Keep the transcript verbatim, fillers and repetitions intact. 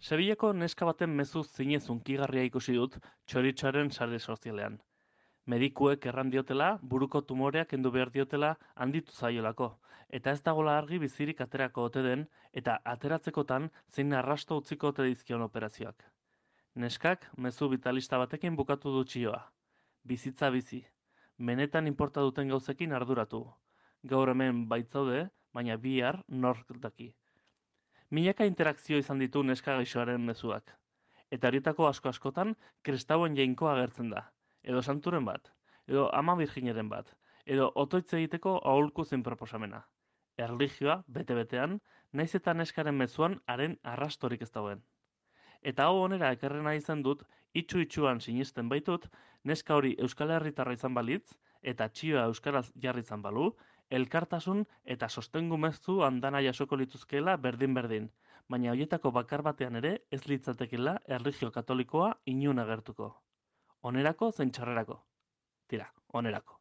Sevillako neska baten mezu zinez hunkigarria ikusi dut txoritxoaren sare sozialean. Medikuek erran diotela, buruko tumoreak kendu behar diotela handitu zaiolako, eta ez dagola argi bizirik aterako ote den, eta ateratzekotan zein arrasto utziko ote dizkion operazioak. Neskak mezu vitalista batekin bukatu du txioa. Bizitza bizi. Benetan inporta duten gauzekin arduratu. Gaur hemen baitzaude, baina bihar nork daki. Milaka interakzio izan ditu neska gaixoaren mezuak. Eta horietako asko askotan kristauen jainkoa agertzen da. Edo santuren bat. Edo ama virgineren bat. Edo otoitz egiteko aholku zein proposamena. Erlijioa, bete-betean, naiz eta neskaren mezuan haren arrastorik ez dagoen. Eta hau onera ekarrena izan dut, itxu-itxuan sinisten baitut, neska hori Euskal Herritarra izan balitz, eta txioa euskaraz jarri izan balu, elkartasun eta sostengu mezu andana jasoko lituzkeela berdin-berdin, baina horietako bakar batean ere ez litzatekela erlijio katolikoa inun agertuko. Onerako zein txarrerako. Tira, onerako.